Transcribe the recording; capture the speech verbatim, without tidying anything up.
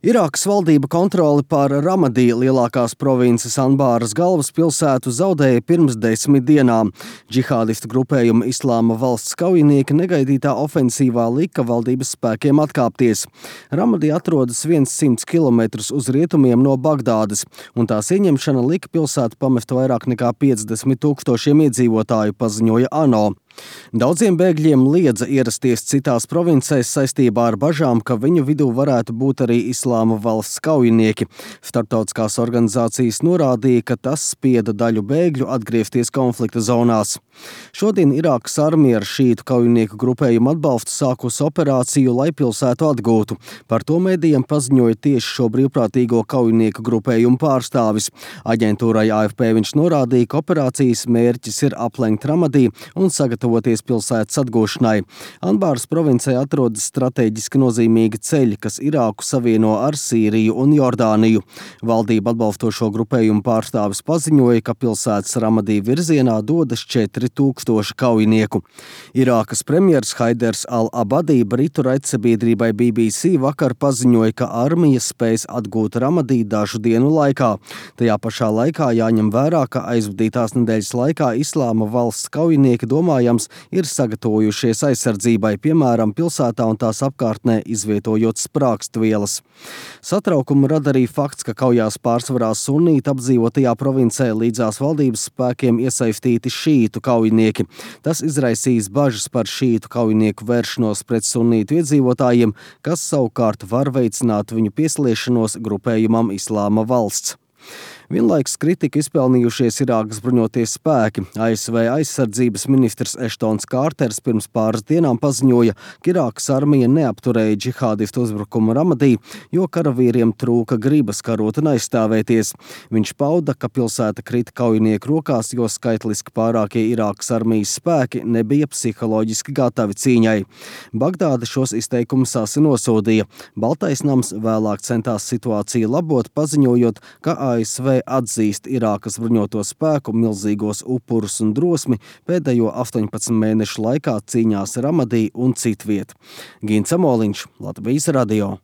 Irākas valdība kontroli pār Ramadī, lielākās provinces Anbāras galvaspilsētu, zaudēja pirms desmit dienām. Džihādistu grupējuma Islāma valsts kaujinieki negaidītā ofensīvā lika valdības spēkiem atkāpties. Ramadī atrodas simts kilometrus uz rietumiem no Bagdādas, un tās ieņemšana lika pilsētu pamest vairāk nekā piecdesmit tūkstošiem iedzīvotāju, paziņoja ANO. Daudziem bēgļiem liedza ierasties citās provincēs saistībā ar bažām, ka viņu vidū varētu būt arī Islāma valsts kaujinieki. Starptautiskās organizācijas norādīja, ka tas spieda daļu bēgļu atgriezties konflikta zonās. Šodien Irākas armija ar šītu kaujinieku grupējumu atbalstu sākusi operāciju, lai pilsētu atgūtu. Par to medijiem paziņoja tieši šo brīvprātīgo kaujinieku grupējumu pārstāvis. Aģentūrai A F P viņš norādīja, ka operācijas mērķis ir aplenkt Ramadī un sagatavoties pilsētas atgūšanai. Anbāras provincē atrodas strateģiski nozīmīgi ceļi, kas Irāku savieno ar Sīriju un Jordāniju. Valdība atbalstošo grupējumu pārstāvis paziņoja, ka pilsētas Ramadī virzienā dodas četri tūkstoši kaujinieku. Irākas premjers Haiders al-Abadī britu raidsabiedrībai B B C vakar paziņoja, ka armija spēs atgūt Ramadī dažu dienu laikā. Tajā pašā laikā jāņem vērā, ka aizvadītās nedēļas laikā Islāma valsts kaujinieki domājams ir sagatavojušies aizsardzībai, piemēram, pilsētā un tās apkārtnē izvietojot sprākstvielas. Satraukumu rada arī fakts, ka kaujās pārsvarā sunīta apdzīvotajā provincē līdzās valdības spēkiem iesaistīti šītu kaujinieki. Tas izraisīs bažas par šītu kaujinieku vēršanos pret sunītu iedzīvotājiem, kas savukārt var veicināt viņu piesliešanos grupējumam Islāma valsts. Vienlaikus kritiku izpelnījušies Irākas bruņoties spēki. A S V aizsardzības ministrs Eštons Kārters pirms pāris dienām paziņoja, ka Irākas armija neapturēja džihādistu uzbrukumu Ramadī, jo karavīriem trūka gribas karot un aizstāvēties. Viņš pauda, ka pilsēta krita kaujinieku rokās, jo skaitliski pārākie Irākas armijas spēki nebija psiholoģiski gatavi cīņai. Bagdāda šos izteikumus asi nosodīja. Baltais nams vēlāk centās situāciju labot, paziņojot, ka A S V atzīst Irākas bruņoto spēku milzīgos upurus un drosmi pēdējo astoņpadsmit mēnešu laikā cīņās Ramadī un citviet. Gins Amoliņš, Latvijas radio.